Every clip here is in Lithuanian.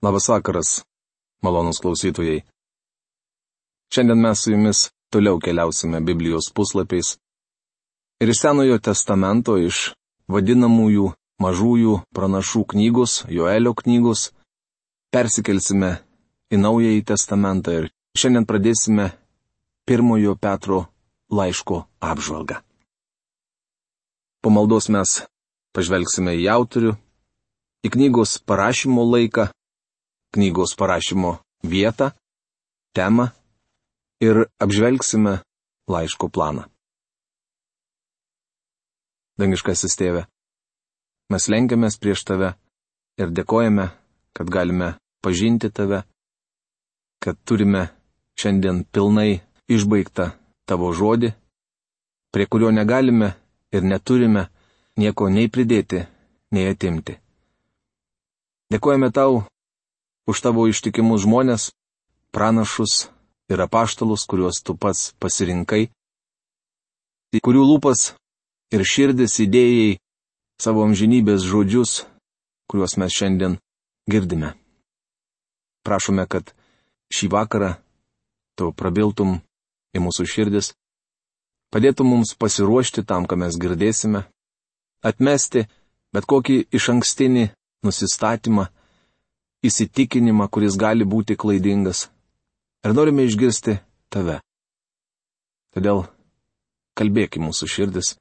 Labas vakaras, malonūs klausytojai. Šiandien mes su jumis toliau keliausime Biblijos puslapiais ir iš Senojo testamento, iš vadinamųjų mažųjų pranašų knygos, Joelio knygos, persikelsime į Naująjį testamentą ir šiandien pradėsime 1 Petro laiško apžvalgą. Po maldos mes pažvelgsime į autorių, į knygos parašymo laiką, knygos parašymo vietą, temą ir apžvelgsime laiško planą. Dangiškasis Tėve, mes lenkiamės prieš Tave ir dėkojame, kad galime pažinti Tave, kad turime šiandien pilnai išbaigtą Tavo žodį, prie kurio negalime ir neturime nieko nei pridėti, nei atimti. Dėkojame Tau už Tavo ištikimus žmonės, pranašus ir apaštalus, kuriuos Tu pats pasirinkai, į kurių lūpas ir širdis įdėjai savo amžinybės žodžius, kuriuos mes šiandien girdime. Prašome, kad šį vakarą Tu prabiltum į mūsų širdis, padėtum mums pasiruošti tam, ką mes girdėsime, atmesti bet kokį išankstinį nusistatymą, įsitikinimą, kuris gali būti klaidingas. Ir norime išgirsti Tave. Todėl kalbėk į mūsų širdis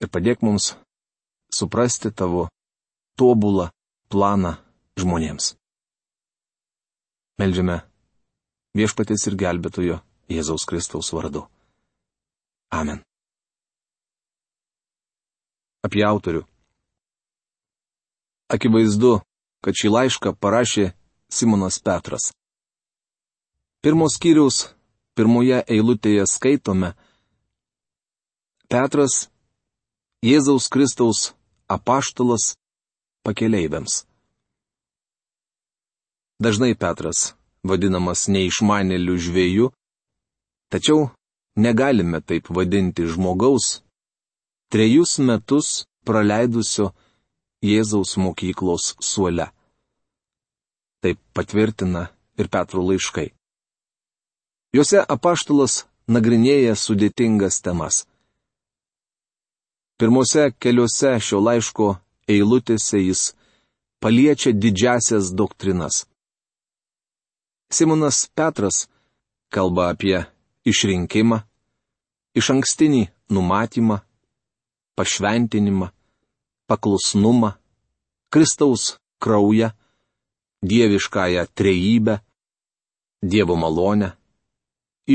ir padėk mums suprasti Tavo tobulą planą žmonėms. Meldžiame Viešpaties ir Gelbėtojo Jėzaus Kristaus vardu. Amen. Apie autorių. Akivaizdu, kad šį laišką parašė Simonas Petras. 1 skyriaus 1 eilutėje skaitome: Petras, Jėzaus Kristaus apaštalas pakeleiviams. Dažnai Petras vadinamas neišmanėliu žvėju, tačiau negalime taip vadinti žmogaus 3 metus praleidusio Jėzaus mokyklos suole. Taip patvirtina ir Petro laiškai. Juose apaštalas nagrinėja sudėtingas temas. Pirmose keliose šio laiško eilutėse jis paliečia didžiasias doktrinas. Simonas Petras kalba apie išrinkimą, išankstinį numatymą, pašventinimą, paklusnumą, Kristaus kraują, dieviškąją trejybę, Dievo malonę,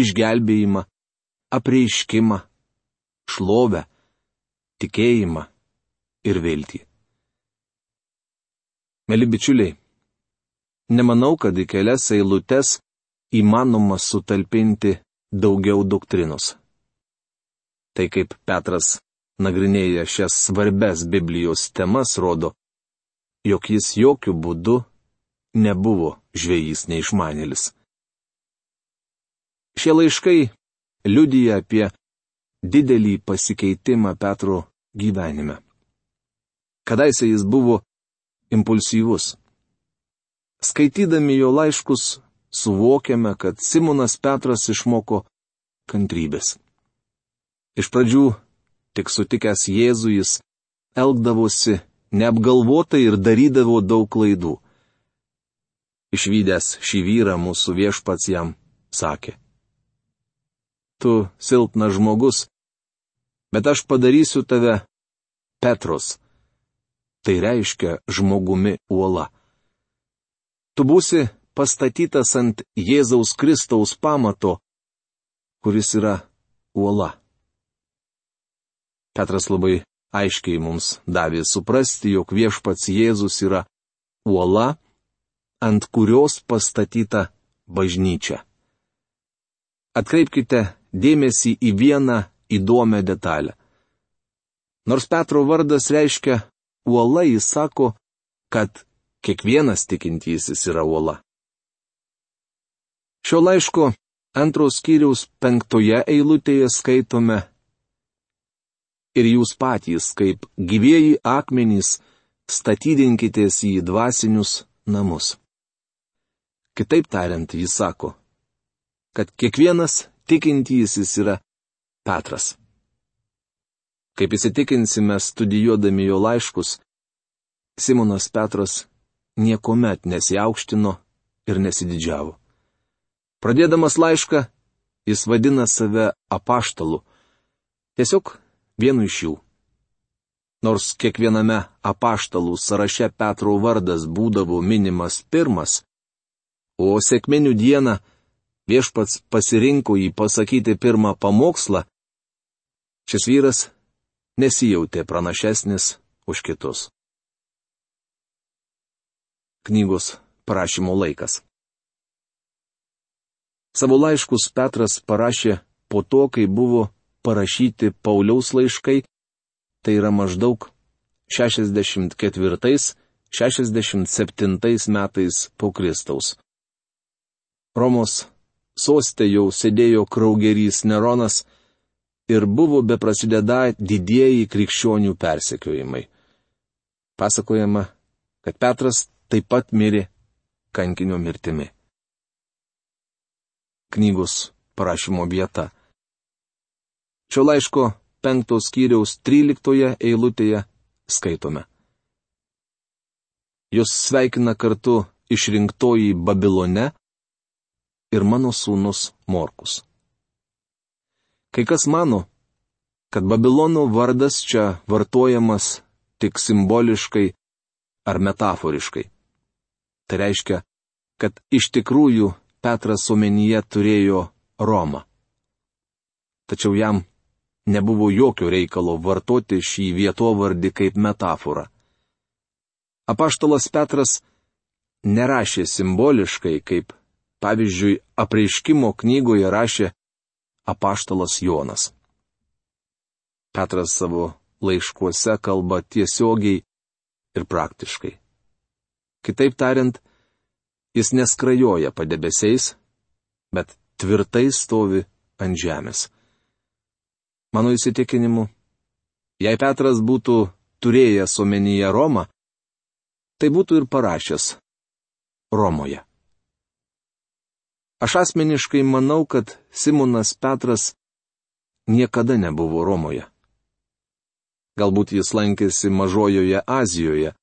išgelbėjimą, apreiškimą, šlovę, tikėjimą ir viltį. Mėly bičiuliai, nemanau, kad į kelias eilutes įmanoma sutalpinti daugiau doktrinos. Tai kaip Petras nagrinėja šias svarbias Biblijos temas, rodo, jog jis jokių būdų nebuvo žvejys neišmanėlis. Šie laiškai liudija apie didelį pasikeitimą Petro gyvenime. Kadaise jis buvo impulsyvus. Skaitydami jo laiškus suvokiame, kad Simonas Petras išmoko kantrybės. Iš pradžių, tik sutikęs Jėzų, jis elgdavosi neapgalvotai ir darydavo daug klaidų. Išvydęs šį vyrą, mūsų Viešpats jam sakė: Tu silpnas žmogus, bet aš padarysiu tave Petros. Tai reiškia žmogumi uola. Tu būsi pastatytas ant Jėzaus Kristaus pamato, kuris yra uola. Petras labai aiškiai mums davė suprasti, jog Viešpats Jėzus yra uola, ant kurios pastatyta bažnyčia. Atkreipkite dėmesį į vieną įdomią detalę. Nors Petro vardas reiškia uola, jis sako, kad kiekvienas tikintysis yra uola. Šio laiško 2 skyriaus 5 eilutėje skaitome: Ir jūs patys, kaip gyvieji akmenys, statydinkitės į dvasinius namus. Kitaip tariant, jis sako, kad kiekvienas tikintysis yra Petras. Kaip įsitikinsime studijuodami jo laiškus, Simonas Petras niekuomet nesiaukštino ir nesididžiavo. Pradėdamas laišką, jis vadina save apaštalu, tiesiog vienu iš jų. Nors kiekviename apaštalų sąraše Petro vardas būdavo minimas pirmas, o sekminių dieną viešpats pasirinko jį pasakyti pirmą pamokslą, šis vyras nesijautė pranašesnis už kitus. Knygos parašymo laikas. Savo laiškus Petras parašė po to, kai buvo parašyti Pauliaus laiškai, tai yra maždaug 64-67 metais po Kristaus. Romos soste jau sėdėjo kraugerys Neronas ir buvo beprasideda didieji krikščionių persekiojimai. Pasakojama, kad Petras taip pat mirė kankinio mirtimi. Knygos parašymo vieta. Šio laiško 5 skyriaus 13 eilutėje skaitome. Jūs sveikina kartu išrinktoji Babilone ir mano sūnus Morkus. Kai kas mano, kad Babilono vardas čia vartojamas tik simboliškai ar metaforiškai. Tai reiškia, kad iš tikrųjų Petras omenyje turėjo Romą. Tačiau jam nebuvo jokio reikalo vartoti šį vietovardį kaip metaforą. Apaštalas Petras nerašė simboliškai, kaip, pavyzdžiui, Apreiškimo knygoje rašė apaštalas Jonas. Petras savo laiškuose kalba tiesiogiai ir praktiškai. Kitaip tariant, jis neskrajoja padebesiais, bet tvirtai stovi ant žemės. Mano įsitikinimu, jei Petras būtų turėjęs omenyje Romą, tai būtų ir parašęs Romoje. Aš asmeniškai manau, kad Simonas Petras niekada nebuvo Romoje. Galbūt jis lankėsi Mažojoje Azijoje,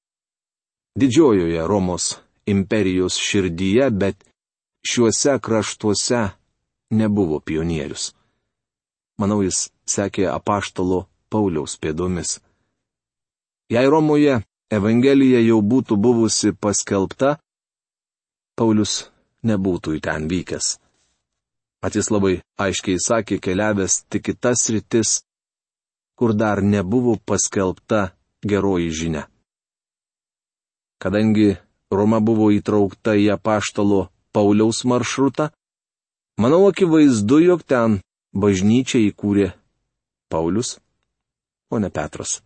Didžiojoje Romos imperijos širdyje, bet šiuose kraštuose nebuvo pionierius. Manau, jis sekė apaštalo Pauliaus pėdomis. Jei Romoje Evangelija jau būtų buvusi paskelbta, Paulius nebūtų į ten vykęs. Jis labai aiškiai sakė, keliavęs tik į tas sritis, kur dar nebuvo paskelbta geroji žinia. Kadangi Roma buvo įtraukta į apaštalo Pauliaus maršrutą, manau akivaizdu, jog ten bažnyčią įkūrė Paulius, o ne Petras.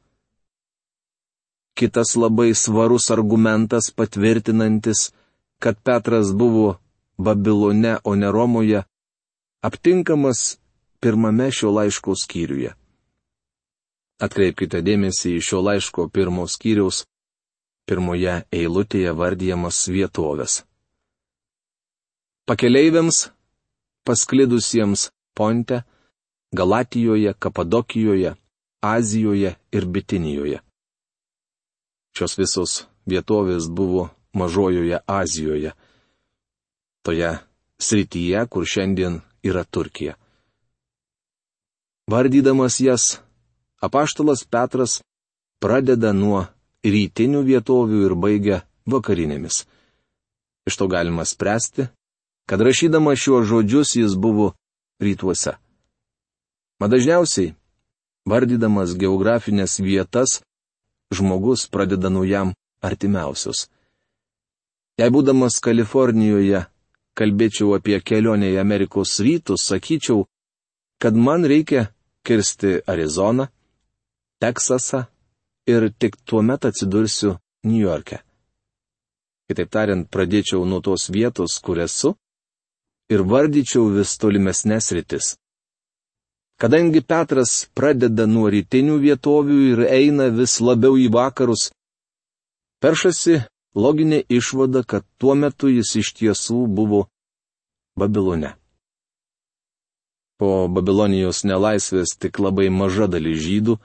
Kitas labai svarus argumentas patvirtinantis, kad Petras buvo Babilone, o ne Romoje, aptinkamas pirmame šio laiško skyriuje. Atkreipkite dėmesį į šio laiško 1 skyriaus 1 eilutėje vardijamas vietovės. Pakeleiviams, pasklidusiems Ponte, Galatijoje, Kapadokijoje, Azijoje ir Bitinijoje. Šios visos vietovės buvo Mažojoje Azijoje, toje srityje, kur šiandien yra Turkija. Vardydamas jas, apaštalas Petras pradeda nuo rytinių vietovių ir baigia vakarinėmis. Iš to galima spręsti, kad rašydamas šiuos žodžius jis buvo rytuose. Dažniausiai, vardydamas geografinės vietas, žmogus pradeda nuo jam artimiausios. Jei būdamas Kalifornijoje kalbėčiau apie kelionę į Amerikos rytus, sakyčiau, kad man reikia kirsti Arizoną, Teksasą ir tik tuomet atsidursiu Niujorke. Kitaip tariant, pradėčiau nuo tos vietos, kur esu, ir vardyčiau vis tolimesnes rytis. Kadangi Petras pradeda nuo rytinių vietovių ir eina vis labiau į vakarus, peršasi loginė išvada, kad tuo metu jis iš tiesų buvo Babilone. Po Babilonijos nelaisvės tik labai maža dalis žydų,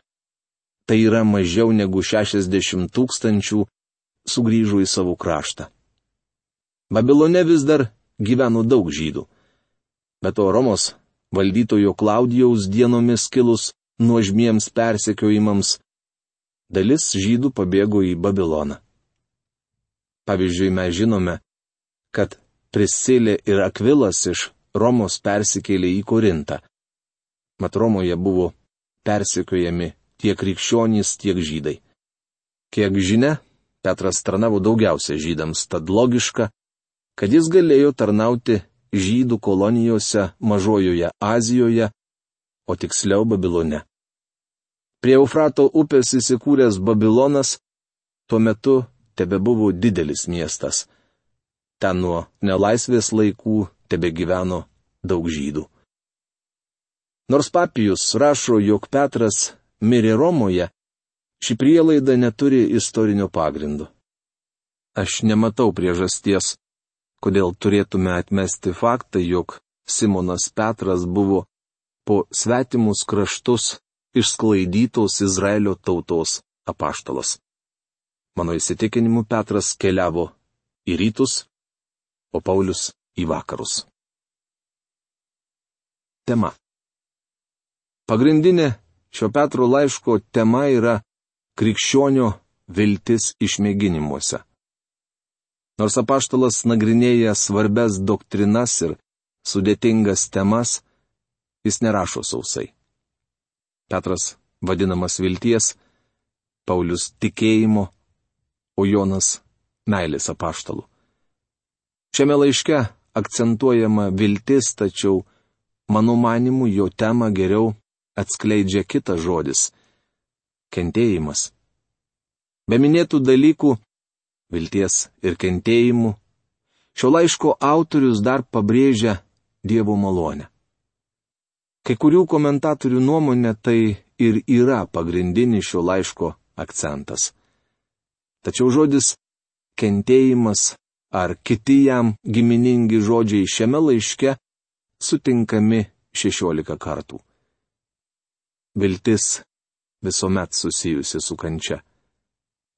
tai yra mažiau negu 60 000, sugrįžo į savo kraštą. Babilone vis dar gyveno daug žydų. Be to Romos valdytojo Klaudijaus dienomis kilus nuožmiems persekiojimams, dalis žydų pabėgo į Babiloną. Pavyzdžiui, mes žinome, kad Prisilė ir Akvilas iš Romos persikėlė į Korintą. Mat Romoje buvo persekiojami tiek krikščionys, tiek žydai. Kiek žinia, Petras tarnavo daugiausia žydams, tad logiška, kad jis galėjo tarnauti žydų kolonijose Mažojoje Azijoje, o tiksliau Babilone. Prie Eufrato upės įsikūręs Babilonas tuo metu tebebuvo didelis miestas. Ten nuo nelaisvės laikų tebegyveno daug žydų. Nors Papijus rašo, jog Petras mirė Romoje, ši prielaida neturi istorinio pagrindo. Aš nematau priežasties, kodėl turėtume atmesti faktą, jog Simonas Petras buvo po svetimus kraštus išsklaidytos Izraelio tautos apaštalas. Mano įsitikinimu, Petras keliavo į rytus, o Paulius į vakarus. Tema. Pagrindinė šio Petro laiško tema yra krikščionio viltis išmėginimuose. Nors apaštalas nagrinėja svarbias doktrinas ir sudėtingas temas, jis nerašo sausai. Petras vadinamas vilties, Paulius tikėjimo, o Jonas meilės apaštalu. Šiame laiške akcentuojama viltis, tačiau, mano manimu, jo temą geriau atskleidžia kitas žodis - kentėjimas. Be minėtų dalykų, vilties ir kentėjimų, šio laiško autorius dar pabrėžia Dievo malonę. Kai kurių komentatorių nuomonė tai ir yra pagrindinis šio laiško akcentas. Tačiau žodis kentėjimas ar kiti jam giminingi žodžiai šiame laiške sutinkami 16 kartų. Viltis visuomet susijusi su kančia.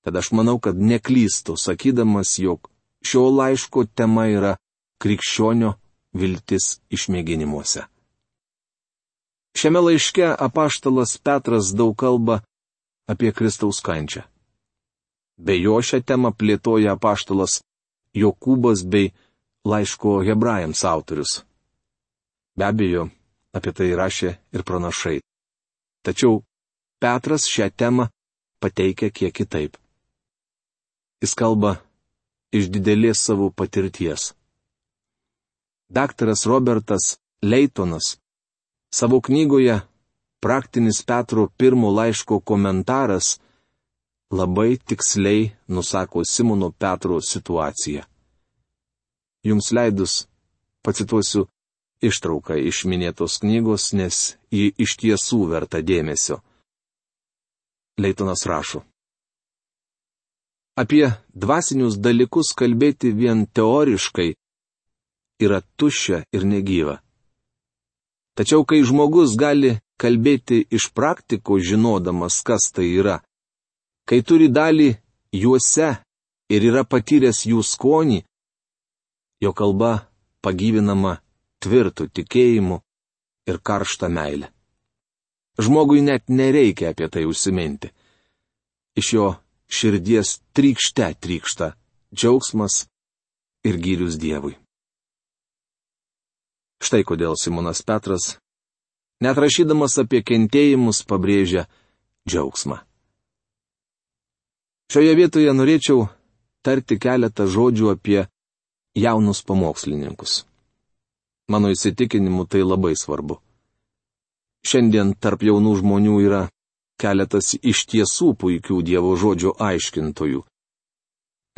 Tad aš manau, kad neklystu, sakydamas, jog šio laiško tema yra krikščionio viltis išmėginimuose. Šiame laiške apaštalas Petras daug kalba apie Kristaus kančią. Be jo šią temą plėtoja apaštalas Jokūbas bei laiško hebrajams autorius. Be abejo, apie tai rašė ir pranašai. Tačiau Petras šią temą pateikia kiek kitaip. Jis kalba iš didelės savo patirties. Daktaras Robertas Leitonas savo knygoje Praktinis Petro pirmo laiško komentaras labai tiksliai nusako Simono Petro situaciją. Jums leidus, pacituosiu ištrauką iš minėtos knygos, nes ji iš tiesų verta dėmesio. Leitonas rašo: Apie dvasinius dalykus kalbėti vien teoriškai yra tuščia ir negyva. Tačiau kai žmogus gali kalbėti iš praktikos žinodamas, kas tai yra, kai turi dalį juose ir yra patyręs jų skonį, jo kalba pagyvinama tvirtų tikėjimu ir karštą meilę. Žmogui net nereikia apie tai užsiminti. Iš jo širdies trykšta džiaugsmas ir gyrius Dievui. Štai kodėl Simonas Petras, net rašydamas apie kentėjimus, pabrėžia džiaugsmą. Šioje vietoje norėčiau tarti keletą žodžių apie jaunus pamokslininkus. Mano įsitikinimu tai labai svarbu. Šiandien tarp jaunų žmonių yra keletas iš tiesų puikių Dievo žodžio aiškintojų.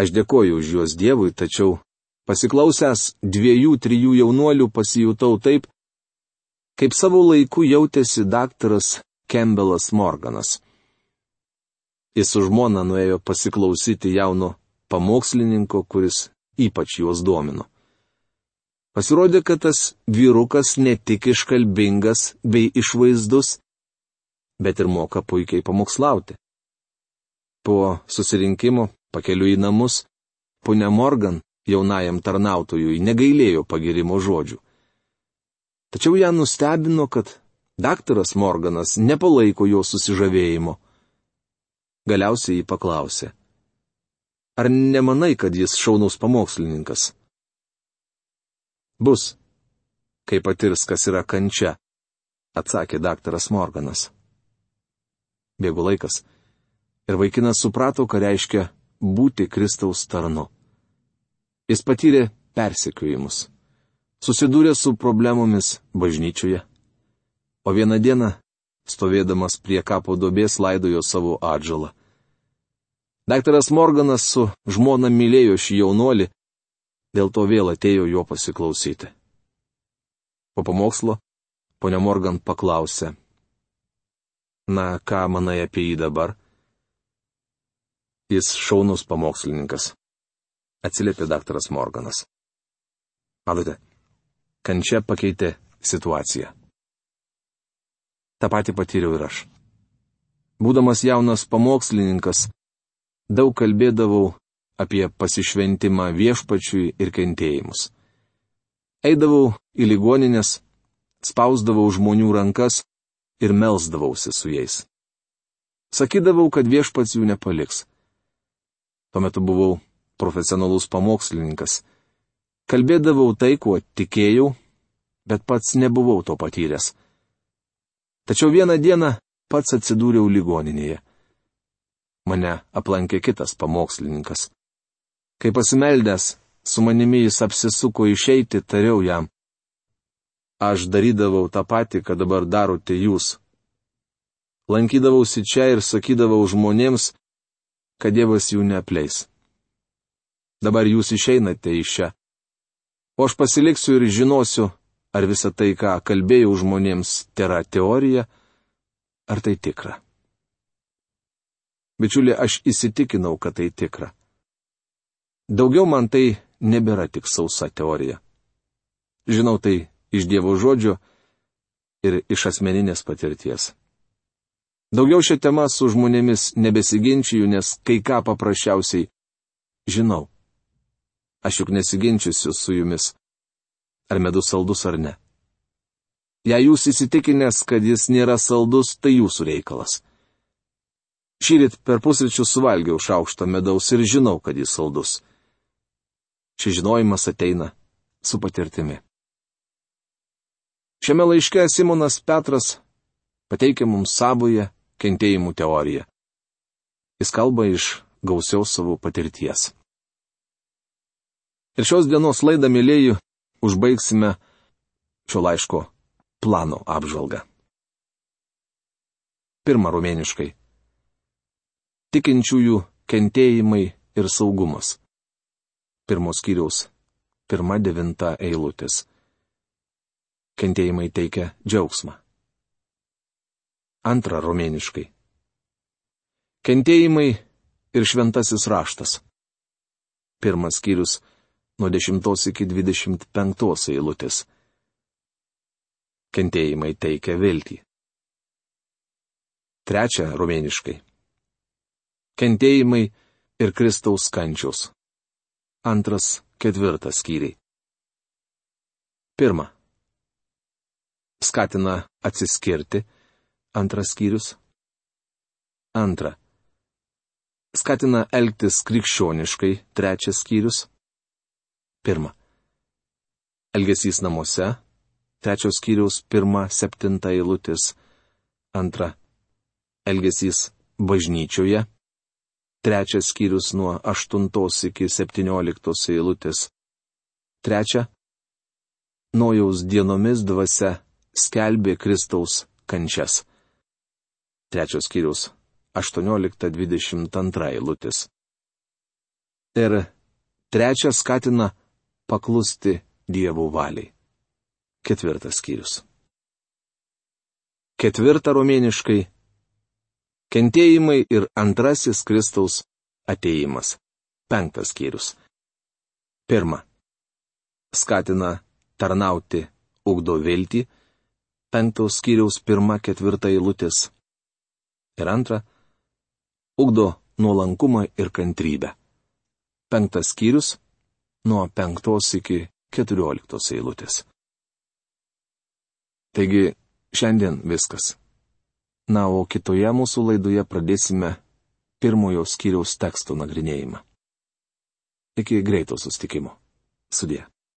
Aš dėkoju už juos Dievui, tačiau pasiklausęs 2-3 jaunuolių pasijutau taip, kaip savo laiku jautėsi daktaras Campbellas Morganas. Jis su žmona nuėjo pasiklausyti jauno pamokslininko, kuris ypač juos domino. Pasirodė, kad tas vyrukas ne tik iškalbingas bei išvaizdus, bet ir moka puikiai pamokslauti. Po susirinkimo, pakeliui į namus, ponia Morgan jaunajam tarnautojui negailėjo pagirimo žodžių. Tačiau ją nustebino, kad daktaras Morganas nepalaiko jo susižavėjimo. Galiausiai jį paklausė: ar nemanai, kad jis šaunus pamokslininkas? Bus, kai patirs, kas yra kančia, atsakė daktaras Morganas. Bėgo laikas, ir vaikinas suprato, ką reiškia būti Kristaus tarnu. Jis patyrė persekiojimus, susidūrė su problemomis bažnyčioje, o vieną dieną, stovėdamas prie kapo duobės, laidojo savo atžalą. Daktaras Morganas su žmona mylėjo šį jaunuolį, dėl to vėl atėjo jo pasiklausyti. Po pamokslo ponia Morgan paklausė: na, ką manai apie jį dabar? Jis šaunus pamokslininkas, atsiliepė daktaras Morganas. Matote, kančia pakeitė situaciją. Ta pati patyriau ir aš. Būdamas jaunas pamokslininkas, daug kalbėdavau apie pasišventimą viešpačiui ir kentėjimus. Eidavau į ligoninės, spausdavau žmonių rankas ir melsdavausi su jais. Sakydavau, kad viešpats jų nepaliks. Tuo metu buvau profesionalus pamokslininkas. Kalbėdavau tai, kuo tikėjau, bet pats nebuvau to patyręs. Tačiau vieną dieną pats atsidūriau ligoninėje. Mane aplankė kitas pamokslininkas. Kai pasimeldęs, su manimi jis apsisuko išeiti, tariau jam: aš darydavau tą patį, ką dabar darote jūs. Lankydavausi čia ir sakydavau žmonėms, kad Dievas jų neapleis. Dabar jūs išeinate iš čia, o aš pasiliksiu ir žinosiu, ar visa tai, ką kalbėjau žmonėms, tėra teorija, ar tai tikra. Bičiuli, aš įsitikinau, kad tai tikra. Daugiau man tai nebėra tik sausa teorija. Žinau tai iš Dievo žodžio ir iš asmeninės patirties. Daugiau šią temą su žmonėmis nebesiginčiju, nes kai ką paprasčiausiai žinau. Aš juk nesiginčysiu su jumis, ar medus saldus ar ne. Jei jūs įsitikinęs, kad jis nėra saldus, tai jūsų reikalas. Šįryt per pusryčius suvalgiau šaukštą medaus ir žinau, kad jis saldus. Šis žinojimas ateina su patirtimi. Šiame laiške Simonas Petras pateikia mums savąją kentėjimų teoriją. Jis kalba iš gausiaus savo patirties. Ir šios dienos laidą, mėlyjeji, užbaigsime šio laiško plano apžvalgą. 1 romėniškai. Tikinčiųjų kentėjimai ir saugumas. 1 skyriaus 1-9 eilutės. Kentėjimai teikia džiaugsmą. 2 romėniškai. Kentėjimai ir šventasis raštas. 1 skyrius nuo 10 iki 25 eilutės. Kentėjimai teikia viltį. 3 romėniškai. Kentėjimai ir Kristaus kančios. 2-4 skyriai. 1. Skatina atsiskirti. 2 skyrius. 2. Skatina elgtis krikščioniškai. 3 skyrius. 1. Elgesys namuose. 3 skyriaus 1-7 eilutės. 2. Elgesys bažnyčioje. 3 skyrius nuo 8 iki 17 eilutės. 3. Nojaus dienomis dvasia skelbė Kristaus kančias. 3 skyrius 18-22 eilutės. Ir 3 skatina paklusti Dievo valiai. 4 skyrius. 4 romėniškai. Kentėjimai ir antrasis Kristaus atėjimas. 5 skyrius. 1. Skatina tarnauti, ugdo viltį. 5 skyriaus 1-4 eilutės. Ir 2. Ugdo nuolankumą ir kantrybę. 5 skyrius nuo 5 iki 14 eilutės. Taigi, šiandien viskas. Na, o kitoje mūsų laidoje pradėsime 1 skyriaus teksto nagrinėjimą. Iki greito susitikimo. Sudie.